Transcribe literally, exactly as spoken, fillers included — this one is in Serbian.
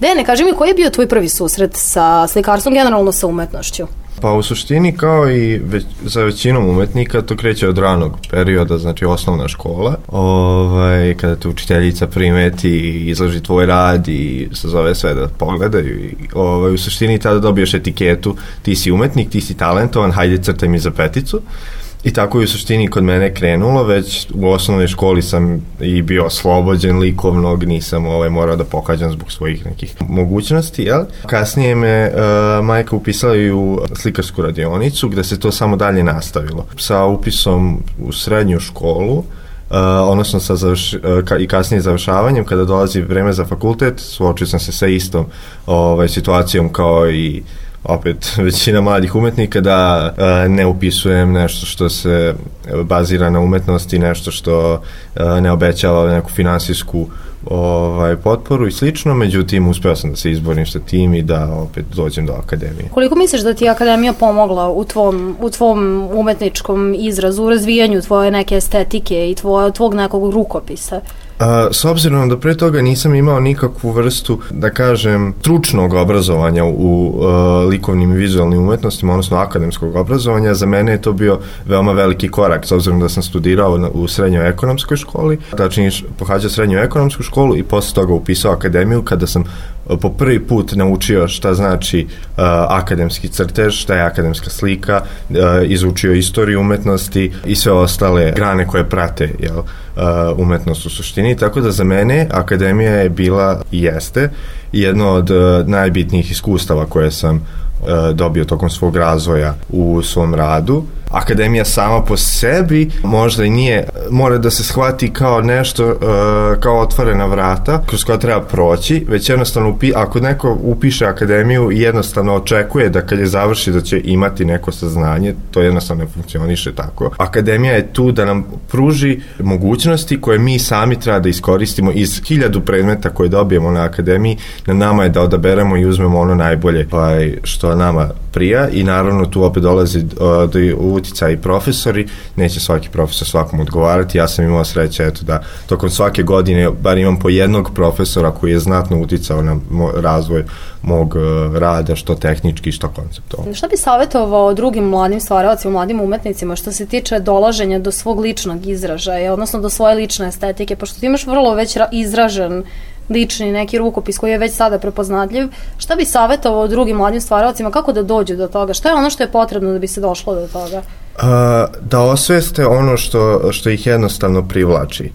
Dejane, kaži mi, koji je bio tvoj prvi susret sa slikarstvom, generalno sa umetnošću? Pa u suštini kao i već, za većinom umetnika to kreće od ranog perioda, znači osnovna škola, ovaj, kada te učiteljica primeti i izloži tvoj rad i se zove sve da pogledaju i ovaj, u suštini tada dobiješ etiketu, ti si umetnik, ti si talentovan, hajde crtaj mi za peticu. I tako je u suštini kod mene krenulo, već u osnovnoj školi sam i bio oslobođen likovnog, nisam ovaj, morao da pohađam zbog svojih nekih mogućnosti, jel? Kasnije me uh, majka upisala i u slikarsku radionicu, gde se to samo dalje nastavilo. Sa upisom u srednju školu, uh, odnosno sa završ, uh, ka, i kasnije završavanjem, kada dolazi vreme za fakultet, suočio sam se sa istom ovaj, situacijom kao i opet većina mladih umetnika da uh, ne upisujem nešto što se bazira na umetnosti, nešto što uh, ne obećava neku finansijsku ovaj, potporu i slično, međutim uspeo sam da se izborim sa tim i da opet dođem do akademije. Koliko misliš da ti je akademija pomogla u tvom, u tvom umetničkom izrazu, u razvijanju tvoje neke estetike i tvoje, tvog nekog rukopisa? Uh, s obzirom da pre toga nisam imao nikakvu vrstu, da kažem, stručnog obrazovanja u uh, likovnim i vizualnim umetnostima, odnosno akademskog obrazovanja, za mene je to bio veoma veliki korak, s obzirom da sam studirao na, u srednjoj ekonomskoj školi, tačnije pohađao srednju ekonomsku školu i posle toga upisao akademiju, kada sam uh, po prvi put naučio šta znači uh, akademski crtež, šta je akademska slika, uh, izučio istoriju umetnosti i sve ostale grane koje prate, jel, uh, umetnost u suštini. Tako da za mene akademija je bila i jeste jedno od uh, najbitnijih iskustava koje sam uh, dobio tokom svog razvoja u svom radu. Akademija sama po sebi možda i nije, mora da se shvati kao nešto, uh, kao otvorena vrata kroz koja treba proći, već jednostavno upi, ako neko upiše akademiju i jednostavno očekuje da kad je završi da će imati neko saznanje, to jednostavno ne funkcioniše tako. Akademija je tu da nam pruži mogućnosti koje mi sami treba da iskoristimo iz hiljadu predmeta koje dobijemo na akademiji, na nama je da odaberemo i uzmemo ono najbolje što nama prija i naravno tu opet dolazi uh, do utica i profesori, neće svaki profesor svakom odgovarati, ja sam imao sreće eto da tokom svake godine bar imam po jednog profesora koji je znatno uticao na mo- razvoj mog uh, rada, što tehnički, što konceptualno. Šta bi savjetovao drugim mladim stvaralacima, mladim umetnicima što se tiče dolaženja do svog ličnog izražaja, odnosno do svoje lične estetike, pošto ti imaš vrlo već ra- izražen lični neki rukopis koji je već sada prepoznatljiv, šta bi savjetovao drugim mladim stvaralcima, kako da dođu do toga, šta je ono što je potrebno da bi se došlo do toga? Uh, da osveste ono što, što ih jednostavno privlači.